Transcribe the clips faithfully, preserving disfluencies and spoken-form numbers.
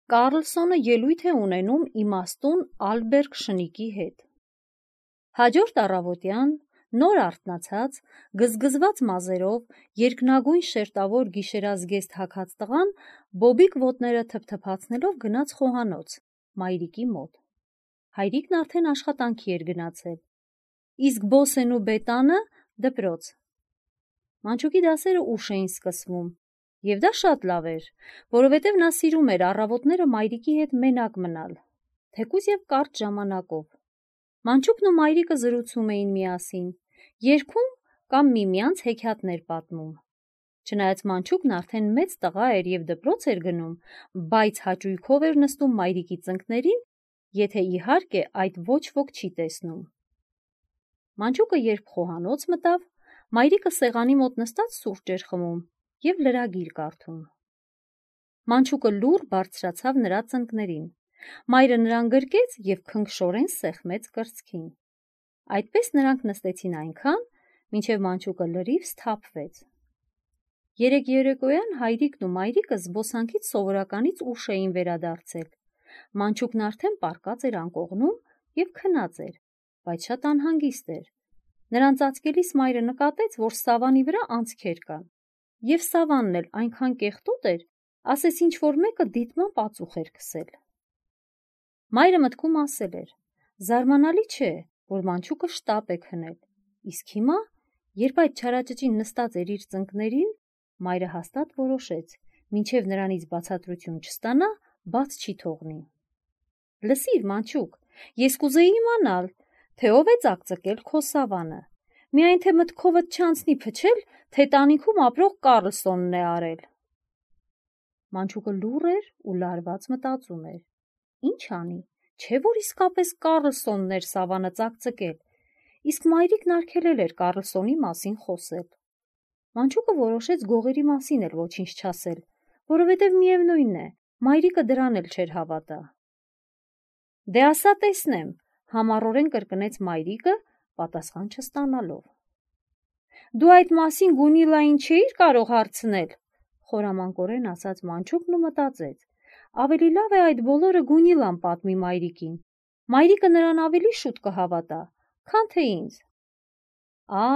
Կարլսոնը ելույթ է ունենում իմաստուն Ալբերտ Շնիկի հետ։ Հաջորդ առավոտյան, նոր արթնացած, գզգզված մազերով, երկնագույն շերտավոր գիշերազգեստ հագած տղան բոբիկ ոտները թփթփացնելով գնաց խոհանոց, մայրիկի մոտ։ Հայրիկն արդեն աշխատանքի էր գնացել, իսկ Բոսեն ու Բետանը դպրոց։ Մանչուկի դասերը ուշ էին սկսվում, և դա շատ լավ էր, որովհետև նա սիրում էր առավոտները մայրիկի հետ մենակ մնալ, թեկուզ և կարճ ժամանակով։ Մանչուկն ու մայրիկը զրուցում էին միասին, երգում կամ միմյանց հեքիաթներ պատմում։ Չնայած Մանչուկն արդեն մեծ տղա էր և դպրոց էր գնում, բայց հաճույքով էր նստում մայրիկի ծնկներին, եթե իհարկե այդ ոչ ոք չի տեսնում։ Մանչուկը երբ խոհանոց մտավ, մայրիկը սեղանի մոտ նստած սուրճ էր խմում և լրագիր կարդում։ Մանչուկը լուռ բարձրացավ նրա ծնկներին, մայրը նրան գրկեց և քնքշորեն սեղմեց կրծքին։ Այդպես նրանք նստեցին այնքան, մինչև Մանչուկը լրիվ սթափվեց։ Երեկ երեկոյան հայրիկն ու մայրիկը զբոսանքից սովորականից ուշ էին վերադարձել։ Մանչուկն արդեն պառկած էր անկողնում և քնած էր, բայց շատ անհանգիստ էր։ Նրան ծածկելիս մայրը նկատեց, որ սավանի վրա անցքեր կան, և սավանն էլ այնքան կեղտոտ էր, ասես ինչ-որ մեկը դիտմամբ ածուխ էր քսել։ Մայրը մտքում ասել էր. զարմանալի չէ, որ Մանչուկը շտապ է քնել, իսկ հիմա, երբ այդ չարաճճին նստած էր իր ծնկներին, մայրը հաստատ որոշեց, մինչև նրանից բացատրություն չստանա, բաց չի թողնի։ Լսիր, Մանչուկ, ես կուզեի իմանալ, թե ով է ծակծկել քո սավանը, միայն թե մտքովդ չանցնի փչել, թե տանիքում ապրող Կարլսոնն է արել։ Մանչուկը լուռ էր ու լարված մտածում էր. ինչ անի, չէ որ իսկապես Կարլսոնն էր սավանը ծակծկել, իսկ մայրիկն արգելել էր Կարլսոնի մասին խոսել։ Մանչուկը որոշեց գողերի մասին էլ ոչինչ չասել, որովհետև միևնույն է, մայրիկը դրան էլ չէր հավատա։ Դե ասա տեսնեմ, համառորեն կրկնեց մայրիկը, պատասխան չստանալով։ Դու այդ մասին Գունիլային չէիր կարող հարցնել, խորամանկորեն ասաց Մանչուկն ու մտածեց. ավելի լավ է այդ բոլորը Գունիլան պատմի մայրիկին, մայրիկը նրան ավելի շուտ կհավատա, քան թե ինձ։ Ա,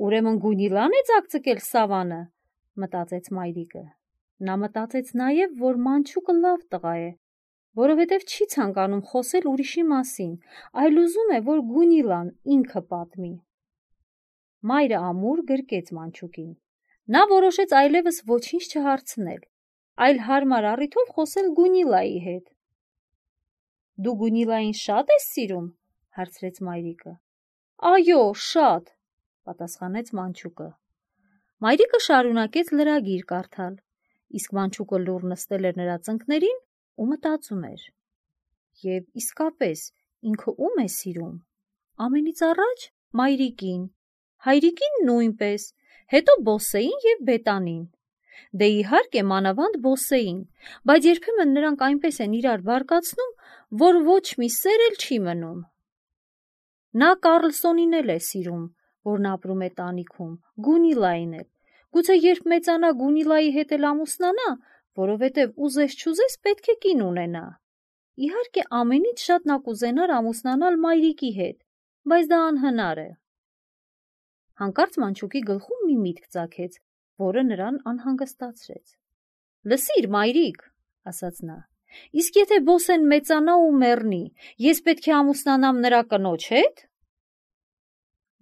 ուրեմն Գունիլան է ծակծկել սավանը, մտածեց մայրիկը։ Նա մտածեց նաև, որ Մանչուկը լավ տղա է, որովհետև չի ցանկանում խոսել ուրիշի մասին, այլ ուզում է, որ Գունիլան ինքը պատմի։ Մայրը ամուր գրկեց Մանչուկին։ Նա որոշեց այլևս ոչինչ չհարցնել, այլ հարմար առիթով խոսել Գունիլայի հետ։ Դու Գունիլային շատ ես սիրում, հարցրեց մայրիկը։ Այո, շատ, պատասխանեց Մանչուկը։ Մայրիկը շարունակեց լրագիր կարդալ, իսկ Մանչուկը լուռ նստել էր նրա ծնկներին ու մտածում էր. և իսկապես ինքը ում է սիրում։ Ամենից առաջ մայրիկին, հայրիկին նույնպես, հետո Բոսեին և Բետանին։ Դե իհարկե մանավանդ Բոսեին, բայց երբեմն նրանք այնպես են իրար բարկացնում, որ ոչ մի սեր էլ չի մնում։ Նա Կարլսոնին էլ է սիրում, որն ապրում է տանիքում, Գունիլային էլ, գուցե երբ մեծանա Գունիլայի հետ էլ ամուսնանա, որովհետև ուզես չուզես պետք է կին ունենա։ Իհարկե ամենից շատ նա կուզենար ամուսնանալ մայրիկի հետ, բայց դա անհնար է։ Հանկարծ Մանչուկի գլխում մի միտք ծագեց, որը նրան անհանգստացրեց։ Լսիր, մայրիկ, ասաց նա, իսկ եթե Բոսեն մեծանա ու մեռնի, ես պետք է ամուսնանամ նրա կնոջ հետ։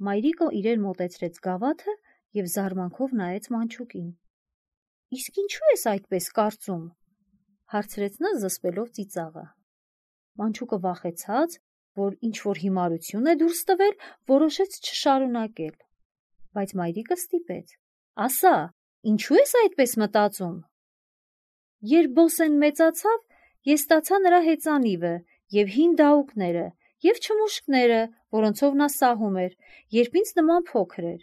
Մայրիկը իրեն մոտեցրեց գավաթը և զարմանքով նայեց Մանչուկին։ Իսկ ինչու ես այդպես կարծում, հարցրեց նա զսպելով ծիծաղը։ Մանչուկը վախեցած, որ ինչ-որ հիմարություն է դուրս տվել, որոշեց չշարունակել, բայց մայրիկը ստիպեց. ասա, ինչու ես այդպես մտածում։ Երբ Բոսեն մեծացավ, ես ստացա նրա հեծանիվը և հին դահուկները և չմուշկները, որոնցով նա սահում էր, երբ ինձ նման փոքր էր։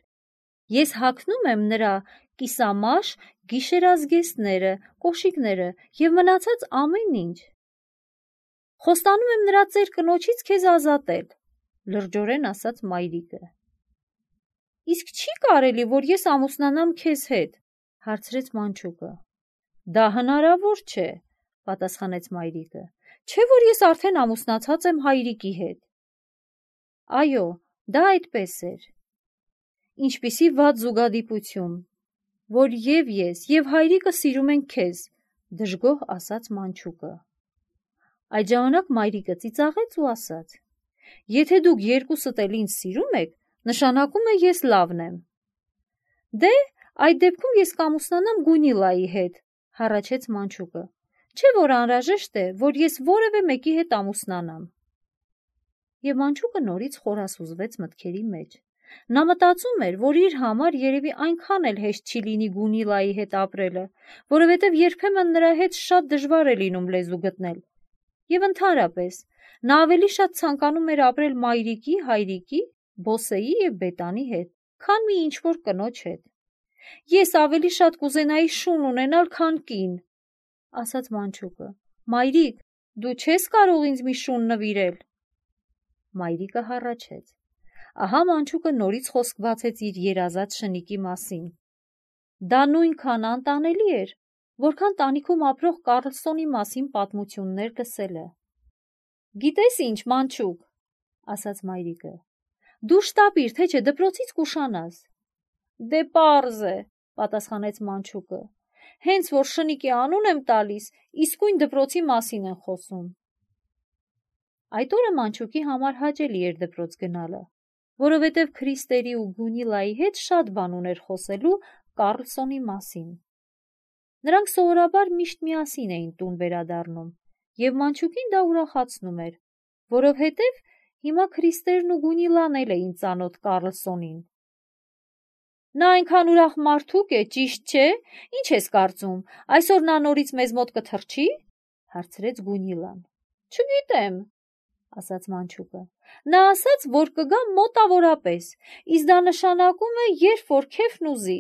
Ես հագնում եմ նրա կիսամաշ գիշերազգեստները, կոշիկները և մնացած ամեն ինչ։ Խոստանում եմ նրա ծեր կնոջից քեզ ազատել, լրջորեն ասաց մայրիկը։ Իսկ չի կարելի, որ ես ամուսնանամ քեզ հետ, հարցրեց Մանչուկը։ Դա հնարավոր չէ, պատասխանեց մայրիկը, չէ՞ որ ես արդեն ամուսնացած եմ հայրիկի հետ։ Այո, դա այդպես էր։ Ինչպիսի վատ զուգադիպություն, որ և ես, և հայրիկը սիրում ենք քեզ, դժգոհ ասաց մանչուկը։ Այդ ժամանակ մայրիկը ծիծաղեց ու ասաց. Եթե դուք երկուսդ էլ ինձ սիրում եք, նշանակում է ես լավն եմ։ Դե, այդ դեպքում ես կամուսնանամ Գունիլայի հետ, հառաչեց մանչուկը, չէ՞ որ անհրաժեշտ է, որ ես որևէ մեկի հետ ամուսնանամ։ Եվ մանչուկը նորից խորասուզվեց մտքերի մեջ։ Նա մտածում էր, որ իր համար երևի այնքան էլ հեշտ չի լինի Գունիլայի հետ ապրելը, որովհետև երբեմն նրա հետ շատ դժվար է լինում լեզու գտնել։ Եվ ընդհանրապես, նա ավելի շատ ցանկանում էր ապրել մայրիկի, հայրիկի, Բոսեի և Բետանի հետ, քան մի ինչ-որ կնոջ հետ։ Ես ավելի շատ կուզենայի շուն ունենալ, քան կին, ասաց մանչուկը։ Մայրիկ, դու չես կարող ինձ մի շուն նվիրել։ Մայրիկը հառաչեց։ Ահա մանչուկը նորից խոսք բացեց իր երազած շնիկի մասին։ Դա նույնքան անտանելի էր, որքան տանիքում ապրող Կարլսոնի մասին պատմություններ լսելը։ Գիտես ինչ, մանչուկ, ասաց մայրիկը, դու շտապիր, թե չէ դպրոցից կուշանաս։ Դե պարզ է, պատասխանեց մանչուկը, հենց որ շնիկի անուն եմ տալիս, իսկույն դպրոցի մասին են խոսում։ Այդ օրը մանչուկի համար հաճելի էր դպրոց գնալը, որովհետև Քրիստերի ու Գունիլայի հետ շատ բան ուներ խոսելու Կարլսոնի մասին։ Նրանք սովորաբար միշտ միասին էին տուն վերադառնում, և մանչուկին դա ուրախացնում էր, որովհետև հիմա Քրիստերն ու Գունիլան էլ էին ծանոթ Կարլսոնին։ Նա այնքան ուրախ մարդուկ է, ճիշտ չէ՞, ինչ ես կարծում, այսօր նա նորից մեզ մոտ կթռչի, հարցրեց Գունիլան։ Չգիտեմ, ասաց մանչուկը, նա ասաց, որ կգա մոտավորապես, իսկ դա նշանակում է, երբ որ քեֆն ուզի։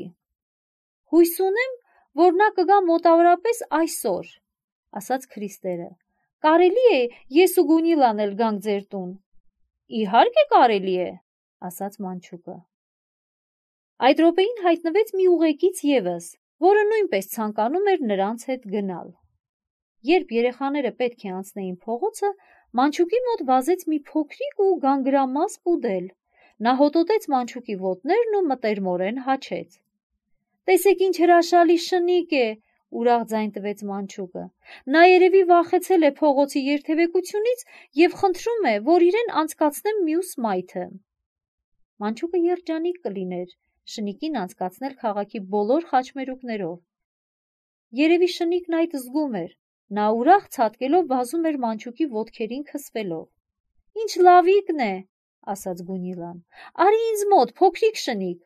Հույս ունեմ, որ նա կգա մոտավորապես այսօր, ասաց Քրիստերը։ Կարելի է ես ու Գունիլան էլ գանք ձեր տուն։ Իհարկե կարելի է, ասաց մանչուկը։ Այդ րոպեին հայտնվեց մի ուղեկից ևս, որը նույնպես ցանկանում էր նրանց հետ գնալ։ Երբ երեխաները պետք է անցնեին փողոցը, մանչուկի մոտ վազեց մի փոքրիկ ու գանգրամաս պուդել։ Նա հոտոտեց մանչուկի ոտներն ու մտերմորեն հաչեց։ Տեսեք ինչ հրաշալի շնիկ է, ուրախ ձայն տվեց մանչուկը։ Նա երևի վախեցել է փողոցի երթևեկությունից և խնդրում է, որ իրեն անցկացնեմ մյուս մայթը։ Մանչուկը երջանիկ կլիներ շնիկին անցկացնել քաղաքի բոլոր խաչմերուկներով։ Երևի շնիկն այդ զգում էր, նա ուրախ ցատկելով վազում էր մանչուկի ոտքերին քսվելով։ Ինչ լավիկն է, ասաց Գունիլան, արի ինձ մոտ, փոքրիկ շնիկ։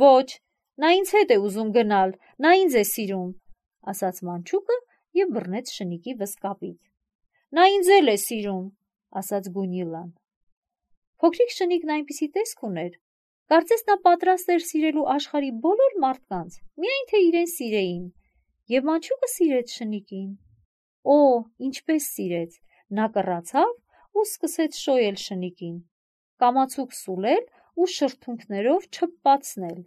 Ոչ, նա ինձ հետ է ուզում գնալ, նա ինձ է սիրում, ասաց մանչուկը և բռնեց շնիկի վզկապից։ Նա ինձ էլ է սիրում, ասաց Գունիլան։ Փոքրիկ շնիկն այնպիսի տեսք ուներ, կարծես նա պատրաստ էր սիրելու աշխարհի բոլոր մարդկանց, միայն թե իրեն սիրեին, և մանչուկը սիրեց շնիկին։ Օ, ինչպես սիրեց, նա կռացավ ու սկսեց շոյել շնիկին, կամացուկ սուլել ու շրթունքներով չփպացնել։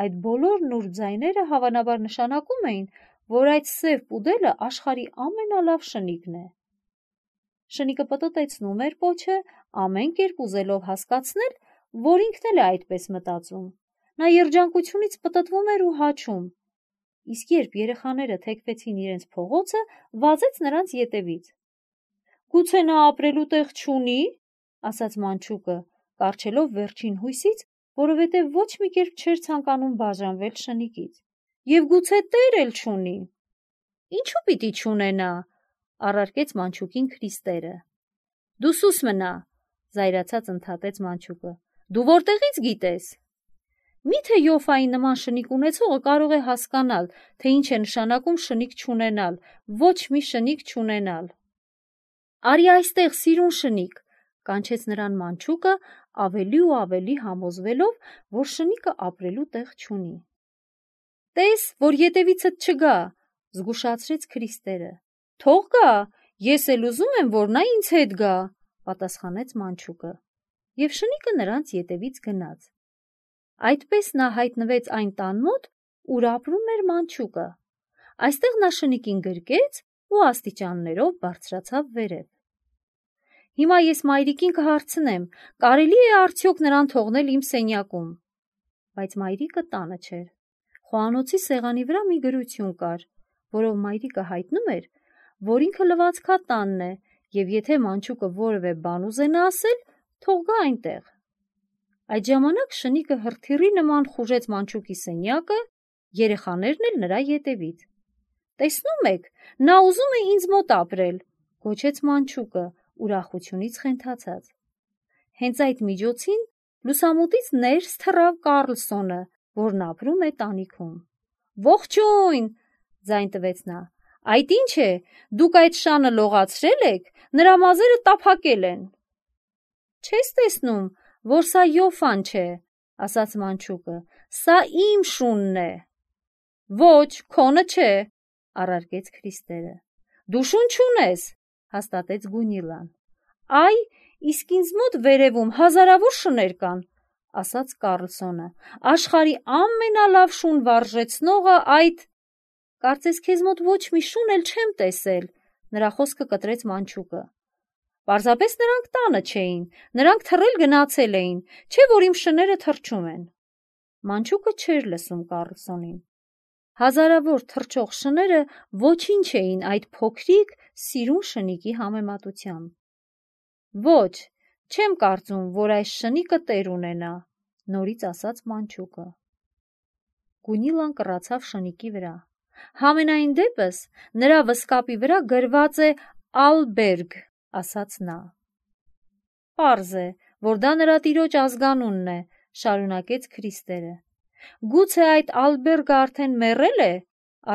Այդ բոլոր նուրբ ձայները հավանաբար նշանակում էին, որ այդ սև պուդելը աշխարհի ամենալավ շնիկն է։ Շնիկը պտտեցնում էր պոչը, ամեն կերպ ուզելով հասկացնել, որ ինքն էլ է այդպես մտածում։ Նա երջանկությունից պտտվում էր ու հաչում, իսկ երբ երեխաները թեքվեցին իրենց փողոցը, վազեց նրանց ետևից։ Գուցե նա ապրելու տեղ չունի, ասաց մանչուկը, կառչելով վերջին հույսից, որովհետև ոչ մի կերպ չէր ցանկանում բաժանվել շնիկից։ Եվ գուցե տեր էլ չունի։ Ինչու պիտի չունենա, առարկեց մանչուկին Քրիստերը։ Դու սուս մնա, զայրացած ընդհատեց մանչուկը։ Դու որտեղից գիտես։ Միթե Յոֆայի նման շնիկ ունեցողը կարող է հասկանալ, թե ինչ է նշանակում շնիկ չունենալ, ոչ մի շնիկ չունենալ։ Արի այստեղ, սիրուն շնիկ, կանչեց նրան մանչուկը, ավելի ու ավելի համոզվելով, որ շնիկը ապրելու տեղ չունի։ Տես, որ ետևիցդ չգա, զգուշացրեց Քրիստերը։ Թող գա, ես էլ ուզում եմ, որ նա ինձ հետ գա, պատասխանեց մանչուկը։ Եվ շնիկը նրանց ետևից գնաց։ Այդպես նա հայտնվեց այն տան մոտ, ուր ապրում էր մանչուկը։ Այստեղ նա շնիկին գրկեց ու աստիճաններով բարձրացավ վերև։ Հիմա ես մայրիկին կհարցնեմ, կարելի է արդյոք նրան թողնել իմ սենյակում, բայց մայրիկը տանը չէր։ Խոհանոցի սեղանի վրա մի գրություն կար, որով մայրիկը հայտնում էր, որ ինքը լվացքատանն է, և եթե մանչուկը որևէ բան ուզենա ասել, թող գա այնտեղ։ Այդ ժամանակ շնիկը հրթիռի նման խուժեց մանչուկի սենյակը, երեխաներն էլ նրա ետևից։ «Տեսնում եք, նա ուզում է ինձ մոտ ապրել», գոչեց մանչուկը, ուրախությունից խենթացած։ Հենց այդ միջոցին լուսամուտից ներս թռավ Կառլսոնը, որն ապրում է տանիքում։ «Ողջույն», ձայն տվեց նա, «այդ ի՞նչ է, դուք այդ շանը լողացրել եք, նրա մազերը տափակել են»։ «Չես տեսնում, որ սա Յոֆան չէ», ասաց մանչուկը, «սա իմ շունն է»։ «Ոչ, քոնը չէ», առարկեց Քրիստերը։ «Դու շուն չունես», հաստատեց Գունիլան։ «Այ, իսկ ինձ մոտ վերևում հազարավոր շներ կան», ասաց Կառլսոնը, «աշխարհի ամենալավ շուն վարժեցնողը այդ…» «Կարծես քեզ մոտ ոչ մի շուն էլ չեմ տեսել», նրա խոսքը կտրեց մանչուկը։ «Պարզապես նրանք տանը չէին, նրանք թռել գնացել էին, չէ՞ որ իմ շները թռչում են»։ Մանչուկը չէր լսում Կառլսոնին։ Հազարավոր թռչող շները ոչինչ էին այդ փոքրիկ, սիրուն շնիկի համեմատությամբ։ «Ոչ, չեմ կարծում, որ այս շնիկը տեր ունենա», նորից ասաց մանչուկը։ Գունիլան կռացավ շնիկի վրա։ «Համենայն դեպս, նրա վսկապի վրա գրված է Ալբերգ», ասաց նա։ «Պարզ է, որ դա նրա տիրոջ ազգանունն է», շարունակեց Քրիստերը։ «Գուցե այդ Ալբերգը արդեն մեռել է»,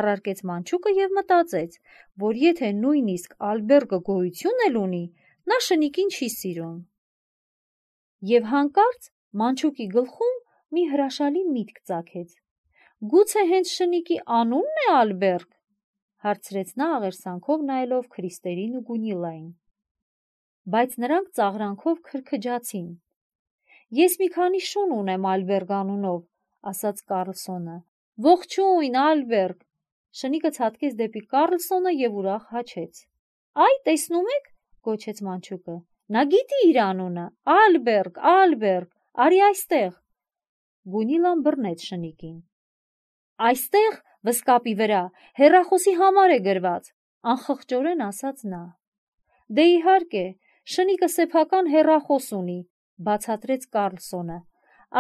առարկեց մանչուկը և մտածեց, որ եթե նույնիսկ Ալբերգը գոյություն էլ ունի, նա շնիկին չի սիրում։ Եվ հանկարծ մանչուկի գլխում մի հրաշալի միտք ծագեց։ «Գուցե հենց շնիկի անունն է Ալբերգ», հարցրեց նա աղերսանքով նայելով Քրիստերին ու Գունիլային։ Բայց նրանք ծաղրանքով քրքջացին։ «Ես մի քանի շուն ունեմ Ալբերգ անունով», ասաց Կառլսոնը։ «Ողջույն, Ալբերգ», շնիկը ցատկեց դեպի Կառլսոնը և ուրախ հաչեց։ «Այ, տեսնում եք», գոչեց մանչուկը, «նա գիտի իր անունը, Ալբերգ, Ալբերգ, արի այստեղ»։ Գունիլան բռնեց շնիկին։ «Այստեղ, վսկապի վրա, հեռախոսի համար է գրված», անխղճորեն ասաց նա։ «Դե իհարկե, շնիկը սեփական հեռախոս ունի», բացատրեց Կառլսոնը։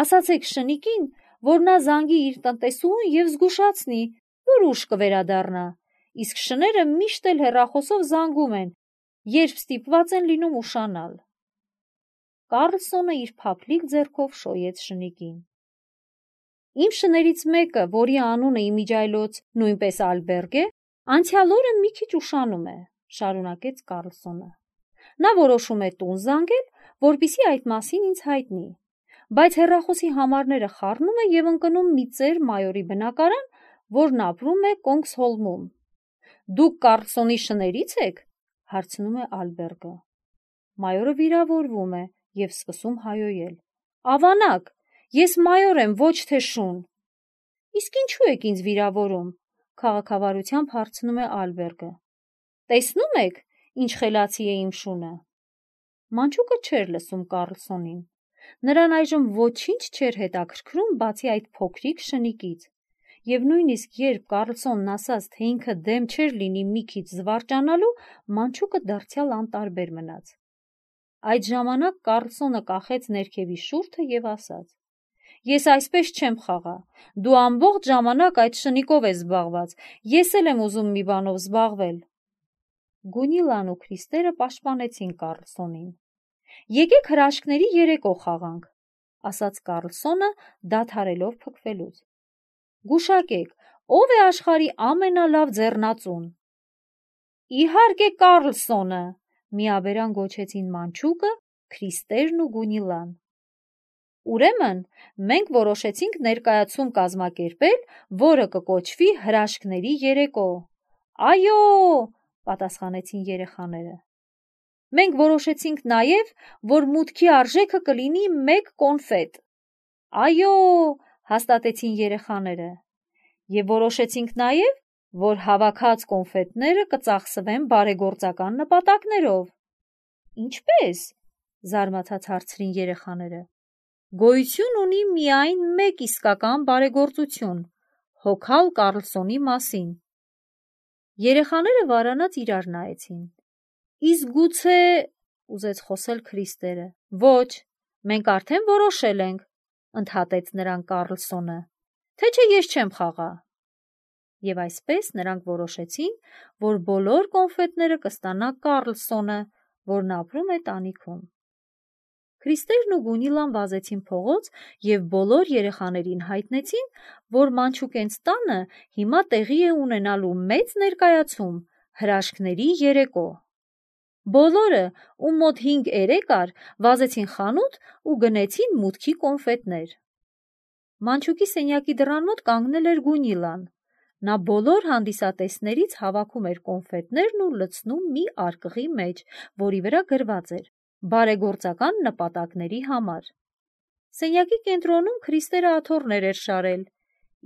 «Ասացեք շնիկին, որ նա զանգի իր տնտեսուհուն և զգուշացնի, որ ուշ կվերադառնա, իսկ շները միշտ էլ հեռախոսով զանգում են, երբ ստիպված են լինում ուշանալ»։ Կառլսոնը իր փափլիկ ձեռքով շոյեց շնիկին։ «Իմ շներից մեկը, որի անունը իմիջիայլոց նույնպես Ալբերգ է, անցյալ օրը մի քիչ ուշանում է», շարունակեց Կառլսոնը։ «Նա որոշում է տուն զանգել, որպեսզի այդ մասին ինձ հայտնի, բայց հեռախոսի համարները խառնում է և ընկնում մի ծեր մայորի բնակարան, որն ապրում է Կոնգսհոլմում։ «Դուք Կառլսոնի շնորհի՞ց եք», հարցնում է Ալբերգը։ Մայորը վիրավորվում է և սկսում հայհոյել։ «Ավանակ, ես մայոր եմ, ոչ թե շուն»։ «Իսկ ինչու եք ինձ վիրավորում», քաղաքավարությամբ հարցնում է Ալբերգը։ «Տեսնում եք, ինչ խելացի է իմ շունը»։ Մանչուկը չէր լսում Կառլսոնին։ Նրան այժմ ոչինչ չէր հետաքրքրում, բացի այդ փոքրիկ շնիկից, և նույնիսկ երբ Կառլսոնն ասաց, թե ինքը դեմ չէր լինի մի քիչ զվարճանալու, մանչուկը դարձյալ անտարբեր մնաց։ Այդ ժամանակ Կառլսոնը կախեց ներքևի շուրթը և ասաց. «Ես այսպես չեմ խաղա, դու ամբողջ ժամանակ այդ շնիկով ես զբաղված, ես էլ եմ ուզում մի բանով զբաղվել»։ Գունիլան ու Քրիստերը պաշտպանեցին Կառլսոնին։ «Եկեք հրաշքների երեկո խաղանք», ասաց Կառլսոնը, դադարելով փքվելուց։ «Գուշակեք, ո՞վ է աշխարհի ամենալավ ձեռնածուն»։ «Իհարկե Կառլսոնը», միաբերան գոչեցին մանչուկը, Քրիստերն ու Գունիլան։ «Ուրեմն մենք որոշեցինք ներկայացում կազմակերպել, որը կկոչվի հրաշքների երեկո»։ «Այո», պատասխանեցին երեխաները։ «Մենք որոշեցինք նաև, որ մուտքի արժեքը կլինի մեկ կոնֆետ»։ «Այո», հաստատեցին երեխաները։ «Եվ որոշեցինք նաև, որ հավաքած կոնֆետները կծախսվեն բարեգործական նպատակներով։ Ինչպե՞ս, զարմացած հարցրին երեխաները։ Գոյություն ունի միայն մեկ իսկական բարեգործություն՝ հոգալ Կառլսոնի մասին։ Երեխաները վարանած իրար նայեցին։ Իսկ գուցե, ուզեց խոսել Քրիստերը։ Ոչ, մենք արդեն որոշել ենք, ընդհատեց նրան Կառլսոնը, թե չէ ես չեմ խաղա։ Եվ այսպես նրանք որոշեցին, որ բոլոր կոնֆետները կստանա Կառլսոնը, որն ապրում է տանիքում։ Քրիստերն ու Գունիլան վազեցին փողոց և բոլոր երեխաներին հայտնեցին, որ մանչուկենց տանը հիմա տեղի է ունենալու մեծ ներկայացում՝ հրաշքների երեկո։ Բոլորը, ում մոտ հինգ երեք կար, վազեցին խանութ ու գնեցին մուտքի կոնֆետներ։ Մանչուկի սենյակի դռան մոտ կանգնել էր Գունիլան։ Նա բոլոր հանդիսատեսներից հավաքում էր կոնֆետներն ու լցնում մի արկղի մեջ, որի վրա գրված էր բարեգործական նպատակների համար։ Սենյակի կենտրոնում Քրիստերը աթոռներ էր շարել,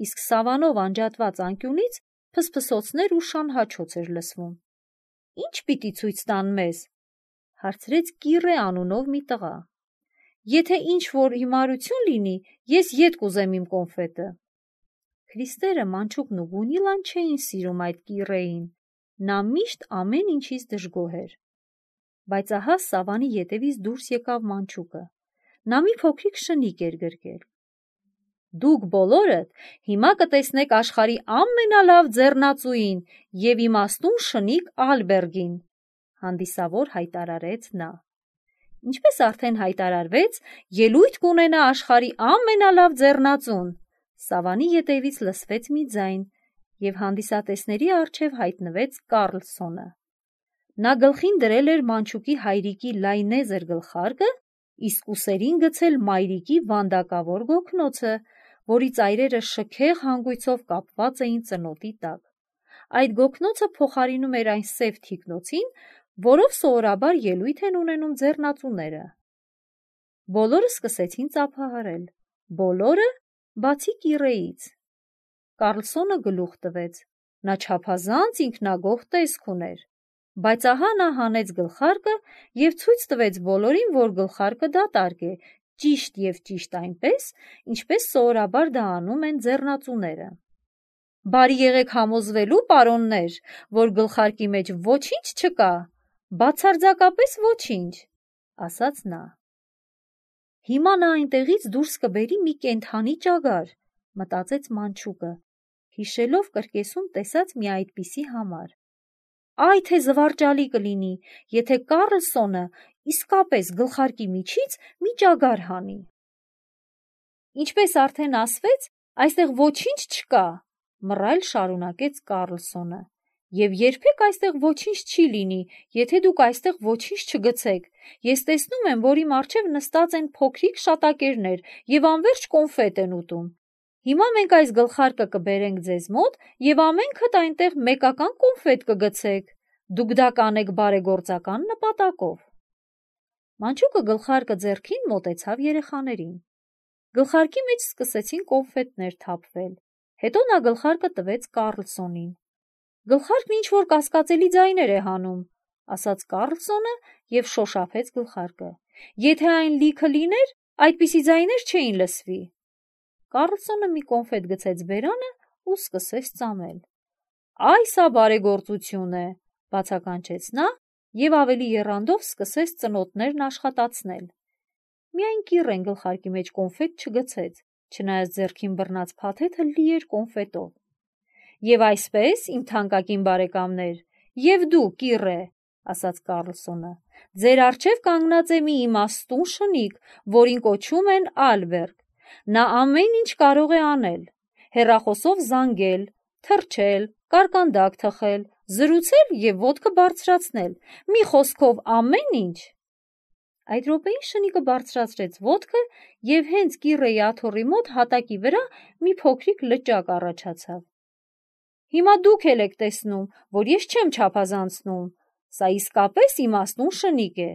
իսկ սավանով անջատված անկյունից փսփսոցներ ու շանհաչոց էր լսվում։ Ինչ պիտի ցույց տան մեզ, հարցրեց Կիրե անունով մի տղա։ Եթե ինչ-որ հիմարություն լինի, ես ետ կուզեմ իմ կոնֆետը։ Քրիստերը, մանչուկն ու Գունիլան չէին սիրում այդ Կիրեին, նա միշտ ամեն ինչից դժգոհ էր։ Բայց ահա սավանի ետևից դուրս եկավ մանչուկը։ Նա մի փոքրիկ շնիկ էր գրկել։ Դուք բոլորդ հիմա կտեսնեք աշխարհի ամենալավ ձեռնածուին և իմաստուն շնիկ Ալբերգին, հանդիսավոր հայտարարեց նա։ Ինչպես արդեն հայտարարվեց, ելույթ կունենա աշխարհի ամենալավ ձեռնածուն։ Սավանի ետևից լսվեց մի ձայն, և հանդիսատեսների առջև հայտնվեց Կառլսոնը։ Նա գլխին դրել էր մանչուկի հայրիկի լայնեզր գլխարկը, իսկ ուսերին գցել մայրիկի վանդակավոր գոգնոցը, որի ծայրերը շքեղ հանգույցով կապված էին ծնոտի տակ։ Այդ գոգնոցը փոխարինում էր այն սև թիկնոցին, որով սովորաբար ելույթ են ունենում ձեռնածուները։ Բոլորը սկսեցին ծափահարել, բոլորը, բացի Կիրեից։ Կառլսոնը գլուխ տվեց, նա չափազանց ինքնագոհ տեսք ուներ, բայց ահա նա հանեց գլխարկը և ցույց տվեց բոլորին, որ գլխարկը դատարկ է, ճիշտ և ճիշտ այնպես, ինչպես սովորաբար դա անում են ձեռնածուները։ Բարի եղեք համոզվելու, պարոններ, որ գլխարկի մեջ ոչինչ չկա, բացարձակապես ոչինչ, ասաց նա։ Հիմա նա այնտեղից դուրս կբերի մի կենդանի ճագար, մտածեց մանչուկը, հիշելով կրկեսում տեսած մի այդպիսի համար։ Այ թե զվարճալի կլինի, եթե Կառլսոնը իսկապես գլխարկի միջից մի ճագար հանի։ Ինչպես արդեն ասվեց, այստեղ ոչինչ չկա, մռայլ շարունակեց Կառլսոնը, և երբեք այստեղ ոչինչ չի լինի, եթե դուք այստեղ ոչինչ չգցեք։ Ես տեսնում եմ, որ իմ առջև նստած են փոքրիկ շատակերներ և անվերջ կոնֆետ են ուտում։ Հիմա մենք այս գլխարկը կբերենք ձեզ մոտ և ամենքդ այնտեղ մեկական կոնֆետ կգցեք։ Դուք դա կանեք բարեգործական նպատակով։ Մանչուկը գլխարկը ձեռքին մոտեցավ երեխաներին։ Գլխարկի մեջ սկսեցին կոնֆետներ թափվել, հետո նա գլխարկը տվեց Կառլսոնին։ Գլխարկն ինչ-որ կասկածելի ձայներ է հանում, ասաց Կառլսոնը և շոշափեց գլխարկը։ Եթե այն լիքը լիներ, այդպիսի ձայներ չէին լսվի։ Կառլսոնը մի կոնֆետ գցեց բերանը ու սկսեց ծամել։ Այ սա բարեգործություն է, բացականչեց նա և ավելի եռանդով սկսեց ծնոտներն աշխատացնել։ Միայն Կիրեն գլխարկի մեջ կոնֆետ չգցեց, չնայած ձեռքին բռնած փաթեթը լի էր կոնֆետով։ Եվ այսպես, իմ թանկագին բարեկամներ, և դու, Կիրե, ասաց Կառլսոնը, ձեր առջև կանգնած է մի իմաստուն շնիկ, որին կոչում են Ալբերգ։ Նա ամեն ինչ կարող է անել՝ հեռախոսով զանգել, թռչել, կարկանդակ թխել, զրուցել և ոտքը բարձրացնել, մի խոսքով ամեն ինչ։ Այդ րոպեին շնիկը բարձրացրեց ոտքը և հենց Կիրեի աթոռի մոտ հատակի վրա մի փոքրիկ լճակ առաջացավ։ Հիմա դուք էլ եք տեսնում, որ ես չեմ չափազանցնում, սա իսկապես իմաստուն շնիկ է։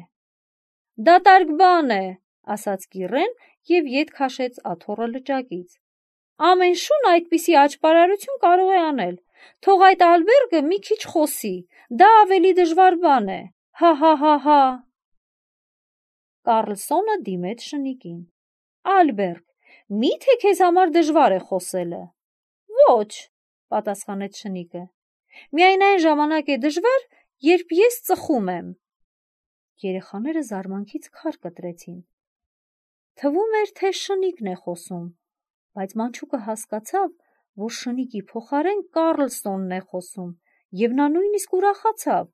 Դատարկ բան է, ասաց Կիրեն և ետ քաշեց աթոռը լճակից։ Ամեն շուն այդպիսի աճպարարություն կարող է անել, Թող այդ Ալբերգը մի քիչ խոսի, դա ավելի դժվար բան է, հա հա հա հա։ Կառլսոնը դիմեց շնիկին. Ալբերգ, մի՞թե քեզ համար դժվար է խոսելը։ Ոչ, պատասխանեց շնիկը, միայն այն ժամանակ է դժվար, երբ ես ծխում եմ։ Երեխաները զարմանքից քար կտրեցին։ Թվում էր, թե շնիկն է խոսում, բայց մանչուկը հասկացավ, որ շնիկի փոխարեն Կառլսոնն է խոսում, և նա նույնիսկ ուրախացավ,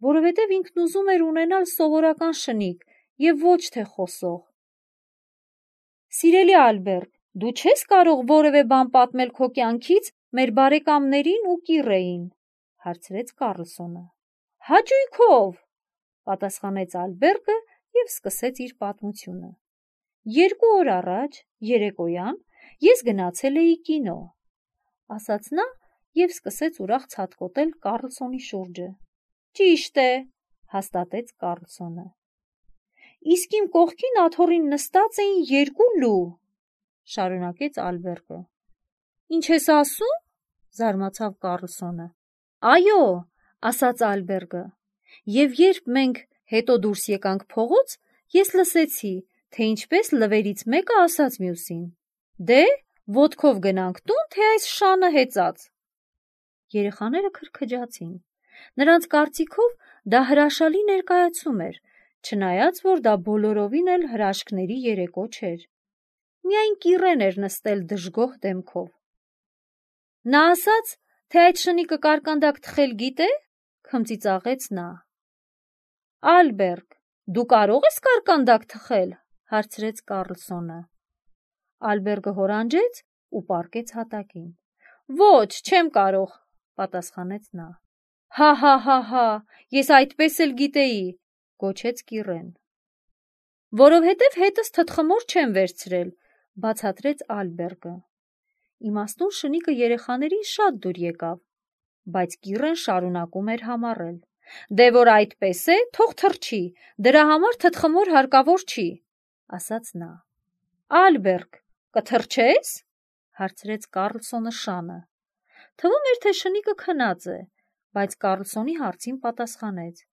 որովհետև ինքն ուզում էր ունենալ սովորական շնիկ և ոչ թե խոսող։ Սիրելի Ալբերտ, դու չես կարող որևէ բան պատմել քո կյանքից մեր բարեկամներին ու կիրեին, հարցրեց Կառլսոնը։ Հաճույքով, պատասխանեց Ալբերտը և սկսեց իր պատմությունը։ Երկու օր առաջ, երեկոյան, ես գնացել էի կինո, ասաց նա և սկսեց ուրախ ցատկոտել Կառլսոնի շուրջը։ Ճիշտ է, հաստատեց Կառլսոնը։ Իսկ իմ կողքին աթոռին նստած էին երկու լու, շարունակեց Ալբերտը։ Ինչ ես ասում, զարմացավ Կառլսոնը։ Այո, ասաց Ալբերտը, և երբ մենք հետո դուրս եկանք փողոց, ես լսեցի, թե ինչպես լվերից մեկը ասաց մյուսին. Դե, ոտքով գնանք տուն, թե այս շանը հեծած։ Երեխաները քրքջացին։ Նրանց կարծիքով դա հրաշալի ներկայացում էր, չնայած որ դա բոլորովին էլ հրաշքների երեկո չէր։ Միայն կիրեն էր նստել դժգոհ դեմքով։ Նա ասաց, թե այդ շնիկը կարկանդակ թխել գիտե, քմծիծաղեց նա։ Ալբերտ, դու կարող ես կարկանդակ թխել, հարցրեց Կառլսոնը։ Ալբերտը հորանջեց ու պառկեց հատակին։ Ոչ, չեմ կարող, պատասխանեց նա։ Հա հա հա հա, ես այդպես էլ գիտեի, գոչեց կիրեն։ Որովհետև հետս թթխմոր չեմ վերցրել, բացատրեց Ալբերտը։ Իմաստուն շնիկը երեխաներին շատ դուր եկավ, բայց կիրեն շարունակում էր համառել։ Դե որ այդպես է, թող թռչի, դրա համար թթխմոր հարկավոր չի, ասաց նա։ Ալբերտ, կթռչե՞ս, հարցրեց Կառլսոնը շանը։ Թվում էր, թե շնիկը քնած է, բայց Կառլսոնի հարցին պատասխանեց.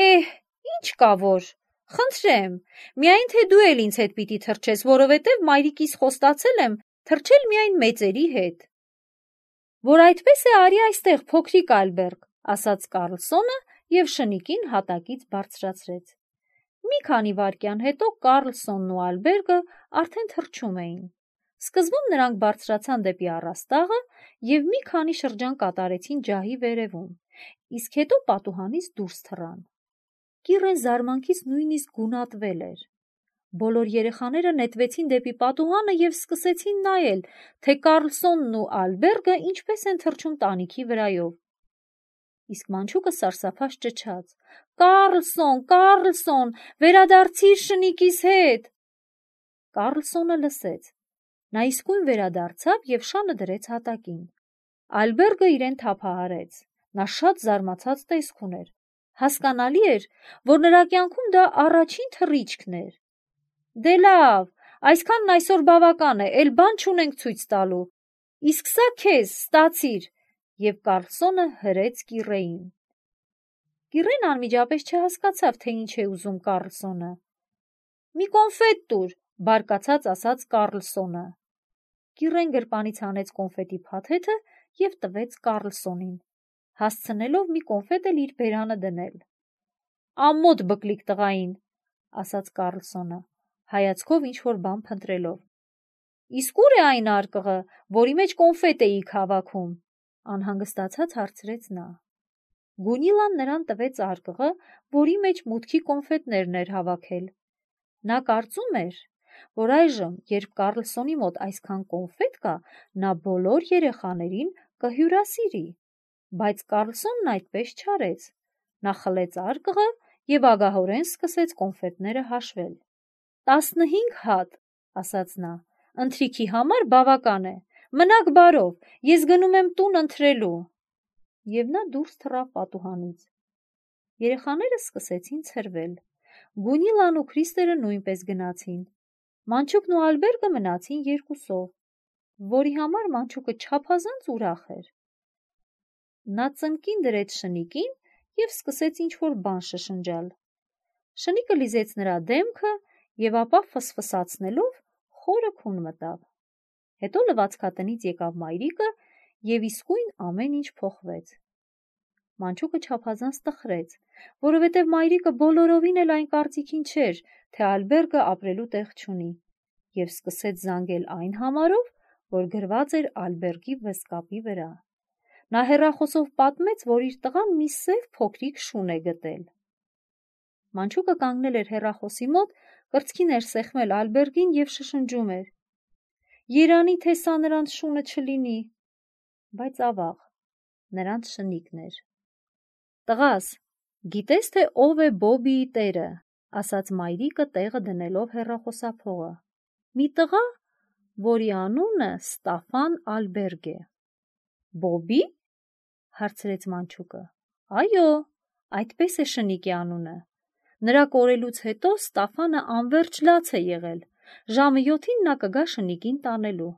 Էհ, ինչ կա որ, խնդրեմ, միայն թե դու էլ ինձ հետ պիտի թռչես, որովհետև մայրիկիս խոստացել եմ թռչել միայն մեծերի հետ։ Որ այդպես է, արի այստեղ, փոքրիկ Ալբերտ, ասաց Կառլսոնը և շնիկին հատակից բարձրացրեց։ Մի քանի վայրկյան հետո Կառլսոնն ու Ալբերտը արդեն թռչում էին։ Սկզբում նրանք բարձրացան դեպի առաստաղը և մի քանի շրջան կատարեցին ջահի վերևում, իսկ հետո պատուհանից դուրս թռան։ Կիրեն զարմանքից նույնիսկ գունատվել էր։ Բոլոր երեխաները նետվեցին դեպի պատուհանը և սկսեցին նայել, թե Կառլսոնն ու Ալբերտը ինչպես են թռչում տանիքի վրայով։ Իսկ մանչուկը սարսափած ճչաց. Կառլսոն, Կառլսոն, վերադարձիր շնիկիս հետ։ Կառլսոնը լսեց։ Նա իսկույն վերադարձավ և շանը դրեց հատակին։ Ալբերտը իրեն թափահարեց։ Նա շատ զարմացած տեսք ուներ։ Հասկանալի էր, որ նրա կյանքում դա առաջին թռիչքն էր։ Դե լավ, այսքանն այսօր բավական է, էլ բան չունենք ցույց տալու։ Իսկ սա քեզ, ստացիր, և Կառլսոնը հրեց կիրեին։ Կիրեն անմիջապես չհասկացավ, թե ինչ է ուզում Կառլսոնը։ Մի կոնֆետ տուր, բարկացած ասաց Կառլսոնը։ Կիրեն գրպանից հանեց կոնֆետի փաթեթը և տվեց Կառլսոնին, հասցնելով մի կոնֆետ էլ իր բերանը դնել։ Ամոթ բկլիկ տղային, ասաց Կառլսոնը, հայացքով ինչ-որ բան փնտրելով։ Իսկ ուր է այն արկղը, որի մեջ կոնֆետ էիք հավաքում, անհանգստացած հարցրեց նա։ Գունիլան նրան տվեց արկղը, որի մեջ մուտքի կոնֆետներն էր հավաքել։ Նա կարծում էր, որ այժմ, երբ Կառլսոնի մոտ այսքան կոնֆետ կա, նա բոլոր երեխաներին կհյուրասիրի, բայց Կառլսոնն այդպես չարեց։ Նա խլեց արկղը և ագահորեն սկսեց կոնֆետները հաշվել։ Տասնհինգ հատ, ասաց նա, ընթրիքի համար բավական է, մնաք բարով, ես գնում եմ տուն ընթրելու։ Եվ նա դուրս թռավ պատուհանից։ Երեխաները սկսեցին ցրվել։ Գունիլան ու Քրիստերը նույնպես գնացին։ Մանչուկն ու Ալբերտը մնացին երկուսով, որի համար մանչուկը չափազանց ուրախ էր։ Նա ծնկին դրեց շնիկին և սկսեց ինչ-որ բան շշնջալ: Շնիկը լիզեց նրա դեմքը և ապա ֆսֆսացնելով խորը քուն մտավ: Հետո լվացքատնից եկավ մայրիկը և իսկույն ամեն ինչ փոխվեց: Մանչուկը չափազանց տխրեց, որովհետև մայրիկը բոլորովին էլ այն կարծիքին չէր, թե Ալբերտը ապրելու տեղ չունի, և սկսեց զանգել այն համարով, որ գրված էր Ալբերտի վզկապի վրա: Նա հեռախոսով պատմեց, որ իր տղան մի սև փոքրիկ շուն է գտել: Մանչուկը կանգնել էր հեռախոսի մոտ, կրծքին էր սեղմել Ալբերտին և շշնջում էր. «Երանի թե սա նրանց շունը չլինի», բայց ավաղ, նրանց շնիկն էր: «Տղաս, գիտես, թե ով է Բոբիի տերը», ասաց մայրիկը տեղը դնելով հեռախոսափողը: «Մի տղա, որի անունը Ստաֆան Ալբերտ է»: «Բոբի՞», հարցրեց Մանչուկը: «Այո, այդպես է շնիկի անունը: Նրա կորելուց հետո Ստաֆանը անվերջ լաց է եղել, ժամը յոթին նա կգա շնիկին տանելու»: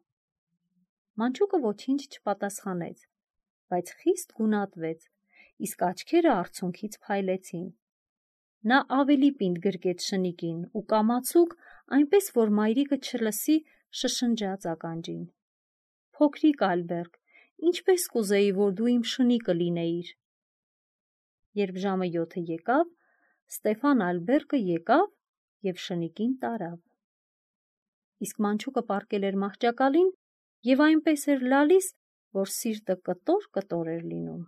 Մանչուկը ոչինչ չպատասխանեց, բայց խիստ գունատվեց, իսկ աչքերը արցունքից փայլեցին: Նա ավելի պինդ գրկեց շնիկին ու կամացուկ, այնպես որ մայրիկը չլսի, շշնջաց ականջին. «Փոքրիկ Ալբերտ, ինչպես կուզեի, որ դու իմ շնիկը լինեիր»: Երբ ժամը յոթը եկավ, Ստեֆան Ալբերտը եկավ և շնիկին տարավ: Իսկ Մանչուկը պառկել էր մահճակալին և այնպես էր լալիս, որ սիրտը կտոր-կտոր էր լինում: